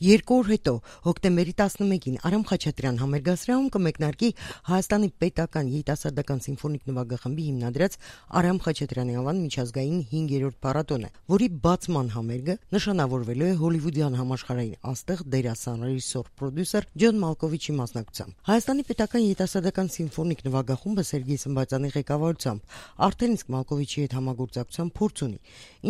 Երկու օր հետո, հոկտեմբերի 11-ին Արամ Խաչատրյան համերգասրահում կմեկնարկի Հայաստանի պետական երիտասարդական սիմֆոնիկ նվագախմբի հիմնադրած Արամ Խաչատրյանի անվան միջազգային 5-րդ փառատոնը, որի բացման համերգը նշանավորվելու է հոլիվուդյան համաշխարհային աստղ դերասան, ռեժիսոր, պրոդյուսեր Ջոն Մալկովիչի մասնակցությամբ։ Հայաստանի պետական երիտասարդական սիմֆոնիկ նվագախումբը Սերգեյ Սմբատյանի ղեկավարությամբ արդեն իսկ Մալկովիչի հետ համագործակցության փորձ ունի։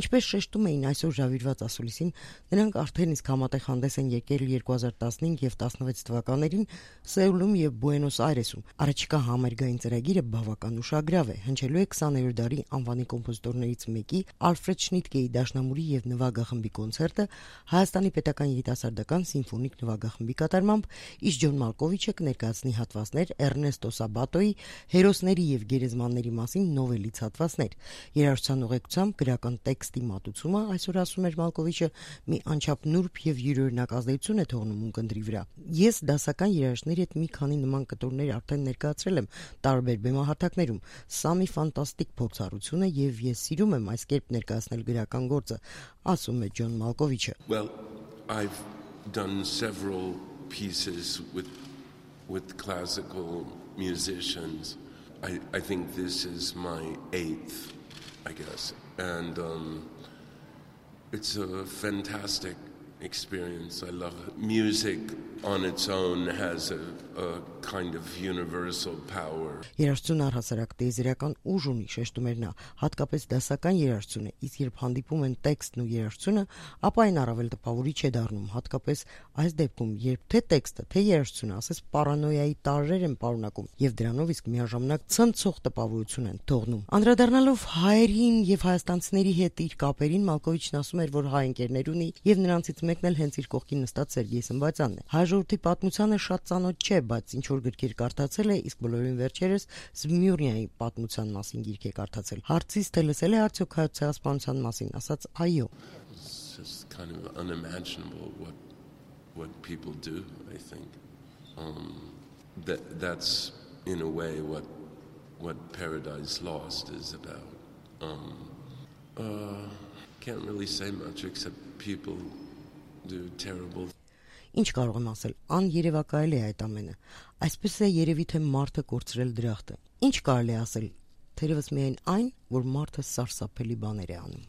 Ինչպես շեշտում էին այսօր ժավիրված ասուլիսին, նրանք արդեն իսկ համատեղ հանդես են եկել 2015 եւ 16 թվականներին Սեուլում եւ Բուենոս Այրեսում։ Առաջիկա համերգային ծրագիրը բավական ուշագրավ է, հնչելու է 20-րդ դարի անվանի կոմպոզիտորներից մեկի Ալֆրեդ Շնիտկեի դաշնամուրի եւ նվագախմբի կոնցերտը Հայաստանի պետական երիտասարդական սիմֆոնիկ նվագախմբի կատարմամբ, իսկ Ջոն Մալկովիչը կներկայացնի հատվածներ Էրնեստո Սաբատոյի հերոսների եւ գերեզմանների մասին նովելից հատվածներ։ Երաժշտության ուղեկցությամբ գրական տեքստի մատուցումը, այսօր ասում էր Մալկովիչը, մի անչափ նուրբ եւ յուրօրինակ ազդեցություն է թողնում ունկնդրի վրա։ Ես դասական երաժշտների հետ մի քանի նման կտորներ արդեն ներկայացրել եմ տարբեր բեմահարթակներում։ Սա մի ֆանտաստիկ փորձառություն է եւ ես սիրում եմ այս կերպ ներկայացնել գրական գործը, ասում է Ջոն Մալկովիչը։ Well, I've done several pieces with classical musicians. I think this is my 8th, I guess. And it's a fantastic experience. I love it. Music on its own has a kind of universal power. Երաժշտություն առհասարակ տիեզերական ուժ ունի, շեշտում էր նա, հատկապես դասական երաժշտությունը, իսկ երբ հանդիպում են տեքստն ու երաժշտությունը, ապա այն առավել տպավորիչ է դառնում, հատկապես այս դեպքում, երբ թե տեքստը, թե երաժշտությունը, ասես պարանոյայի տարրեր են պարունակում եւ դրանով իսկ միաժամանակ ցնցող տպավորություն են թողնում։ Անդրադառնալով հայերին եւ հայաստանցիների հետ իր կապերին, Մալկովիչն ասում էր, որ հայ ընկերներ ունի եւ նրանցից մեկն էլ հենց իր կողքին նստած Սերգեյ Սմբատյանն է։ Հայ ժողովրդի պատմությանը շատ ծանոթ չէ, բայց ինչ որ գրքեր կարդացել է, իսկ բոլորին վերջերս Զմյուրնիայի պատմության մասին գիրք է կարդացել։ Հարցից թե լսել է արդյոք հայոց ցեղասպանության մասին, ասաց այո։ It's just kind of unimaginable what people do, I think. That's in a way what Paradise Lost is about. Can't really say much except people do terrible. Ինչ կարող եմ ասել, աներևակայել է այդ ամենը։ Այսպես է երևի թե մարդը կորցրել դրախտը։ Ինչ կարելի է ասել, թերևս միայն այն, որ մարդը սարսափելի բաներ է անում։